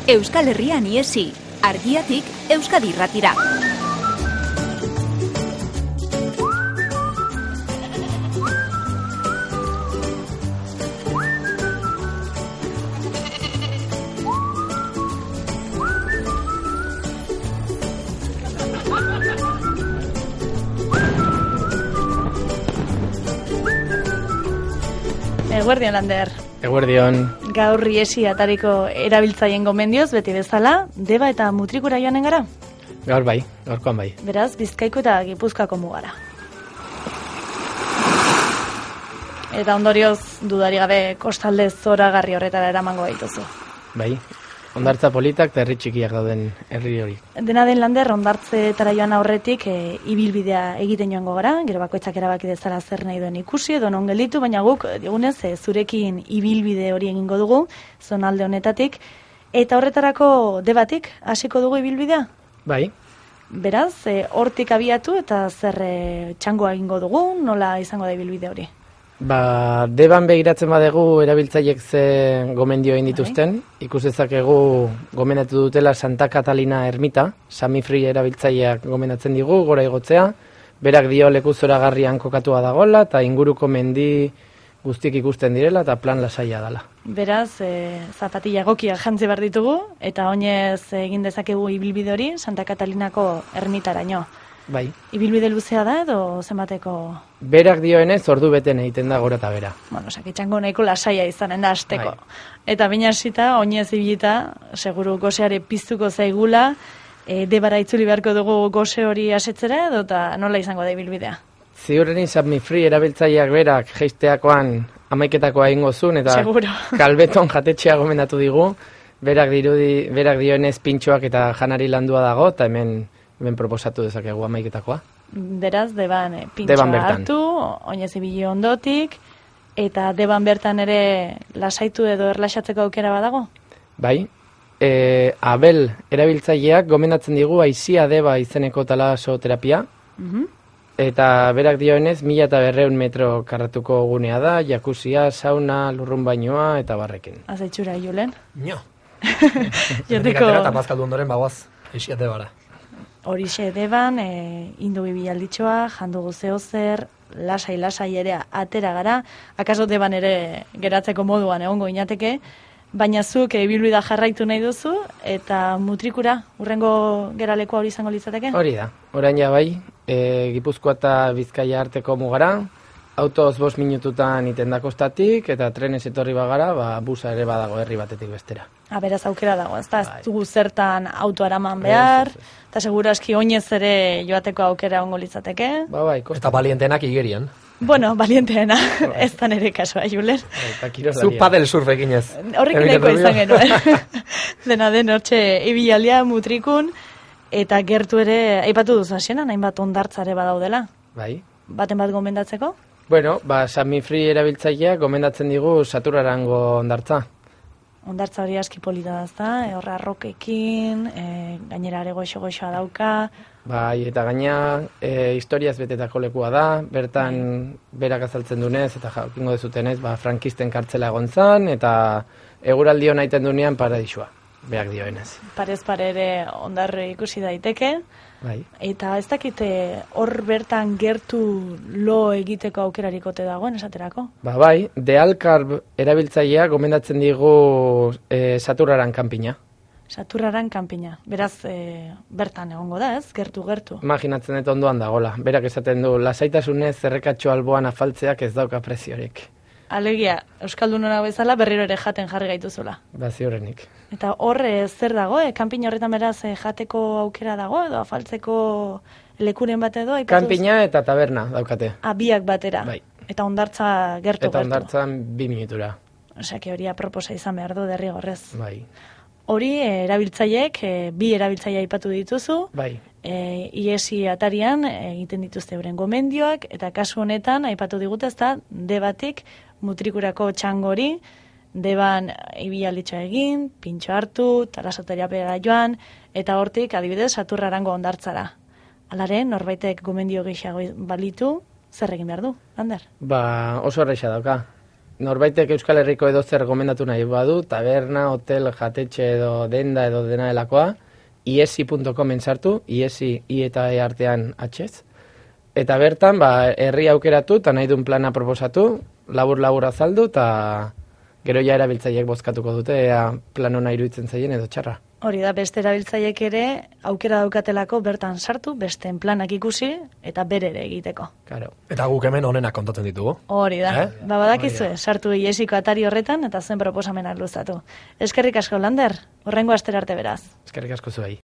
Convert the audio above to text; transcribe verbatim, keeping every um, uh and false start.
Euskal Herrian iesi, Argiatik Euskadi Irratira. Eguerdion, Lander. Eguerdion. Gaur iesi atariko erabiltzaien gomendioz, beti bezala, Deba eta Mutrikura joanen gara? Gaur bai, gaurkoan bai. Beraz, Bizkaiko eta Gipuzkoako mugara. Eta ondorioz, dudari gabe, kostalde zoragarri horretara eramango gaituzu. Bai, hondartza politak eta herri txikiak dauden herri hori. Dena den, Lander, hondartzetara joan aurretik e, ibilbidea egiten joango gara, gero bakoitzak erabaki dezala zer nahi duen ikusi edo non gelditu, baina guk digunez e, zurekin ibilbide hori egingo dugu, zonalde honetatik, eta horretarako Debatik hasiko dugu ibilbidea? Bai. Beraz, e, hortik abiatu eta zer e, txangoa egingo dugu, nola izango da ibilbide hori? Ba, Deban begiratzen badegu erabiltzaiek ze gomendio egin dituzten, ikus dezakegu gomendatu dutela Santa Catalina ermita, Samifri erabiltzaileak gomendatzen digu, gora igotzea, berak dio leku zoragarrian kokatua dagoela, eta inguruko mendi guztiek ikusten direla, eta plan lasaia dela. Beraz, e, zapatilla egokia jantzi behar ditugu, eta oinez egin dezakegu ibilbide hori Santa Catalinako ermitaraino. Bai. Ibilbide luzea da edo zenbateko? Berak dioenez ordu beten egiten da gora eta bera. Bueno, sakitxango nahiko lasaia izanen da asteko. Bai. Eta binasita, oinez ibilita, seguru goseare piztuko zaigula, e, Debara itzuli beharko dugu gose hori asetzera edo eta nola izango da ibilbidea? Ziurrenin Samifri erabiltzaileak berak jeisteakoan amaiketakoa egingo zuen eta seguro. Kalbeton jatetxea gomendatu digu, berak dirudi, berak dioenez pintxoak eta janari landua dago, eta hemen Ben proposatu dezakegu amaiketakoa. Beraz, Deban e, pintxoa hartu, oinez ibili ondotik, eta Deban bertan ere lasaitu edo erlaxatzeko aukera badago? Bai, e, Abel erabiltzaileak gomendatzen digu aizia Deba izeneko talasoterapia, uh-huh. Eta berak dioenez, mila eta berreun metro karratuko gunea da, jakuzia, sauna, lurrun bainoa eta barrekin. Azaitxura, Julen? Nio. Joteko... Nik atera eta paskaldu ondoren bagoaz, aizia Debara. Horixe Deban, e, indu bibialditxoa, jandugu zehozer, lasai-lasai ere atera gara, akaso Deban ere geratzeko moduan egongo inateke, baina zuk ibilbidea jarraitu nahi duzu, eta Mutrikura, urrengo geralekoa hori izango litzateke? Hori da, orain ja bai, e, Gipuzkoa eta Bizkaia arteko mugara, autoz bost minututan iten da kostatik, eta trenez etorri bagara, ba, busa ere badago herri batetik bestera. Ha, beraz aukera dago, ez da, ez dugu zertan auto araman behar, eta segura eski oinez ere joateko aukera ongo litzateke. Ba, bai, kosta. Eta balientenak igerian. Bueno, balienteena, ez da nire kasua, Julen. Zu padel surf eginez. Horrek nahiko izan genuen. Dena den hortxe ibilaldia Mutrikun, eta gertu ere, aipatu duzu hasieran, hainbat hondartzare badaudela. Bai. Baten bat gomendatzeko? Bueno, ba, Samifri erabiltzaileak gomendatzen digu Saturarango hondartza. Hondartza hori aski polita da, ezta? E, horra arrokekin, e, gainera ere goxo-goxoa dauka. Bai, eta gaina e, historiaz betetako lekua da, bertan berak azaltzen dunez, eta jakingo dezutenez, ba, frankisten kartzela egon zan, eta eguraldi hona iten dunean paradisua, berak dioenez. Parez pare ere hondarre ikusi daiteke. Bai. Eta ez dakite hor bertan gertu lo egiteko aukerarikote dagoen esaterako? Ba bai, De Alkarb erabiltzailea gomendatzen digu e, Saturaran kanpina. Saturraran kanpina. Beraz, e, bertan egongo da, ez? Gertu-gertu. Imaginatzen dut ondoan dagola. Berak esaten du, lasaitasunez zerrekatxo alboan afaltzeak ez dauka preziorik. Alegia, Euskaldunora bezala berriro ere jaten jarri gaituzula. Ba, ziurrenik. Eta hor e, zer dago, e, kanpina horretan beraz e, jateko aukera dago, edo afaltzeko lekuren bat edo? Kanpina eta taberna daukate. Ah, biak batera. Bai. Eta hondartza gertu-gertu. Eta hondartzan bi minutura. Osea, que hori aproposa izan behar du derrigorrez. Bai. Hori e, erabiltzaileek, e, bi erabiltzaile aipatu dituzu. Bai. E, iesi atarian e, egiten dituzte euren gomendioak, eta kasu honetan aipatu digute, ezta, Debatik Mutrikurako txangori, Deban ibialditxoa egin, pintxo hartu, talasoterapia joan, eta hortik adibidez Saturrarango hondartzara. Alare, norbaitek gomendio gehiago balitu, zer egin behar du, Lander? Ba, oso erraixa dauka. norbaitek Euskal Herriko edo zer gomendatu nahi badu, taberna, hotel, jatetxe edo denda edo dena delakoa, iesi puntu comen sartu, iesi, i eta e artean atxez. Eta bertan, ba, herri aukeratu, eta nahi duen plana proposatu, labur-labur azaldu, eta gero ja erabiltzaileek bozkatuko dute, ea plan hona iruditzen zaien edo txarra. Hori da, beste erabiltzaileek ere aukera daukatelako bertan sartu, besteen planak ikusi eta bere ere egiteko. Claro. Eta guk hemen onenak kontatzen ditugu. Hori da, Eh? ba badakizue, Hori da. sartu iesiko atari horretan eta zen proposamenak luzatu. Eskerrik asko, Lander, horrengo astera arte beraz. Eskerrik asko zuei.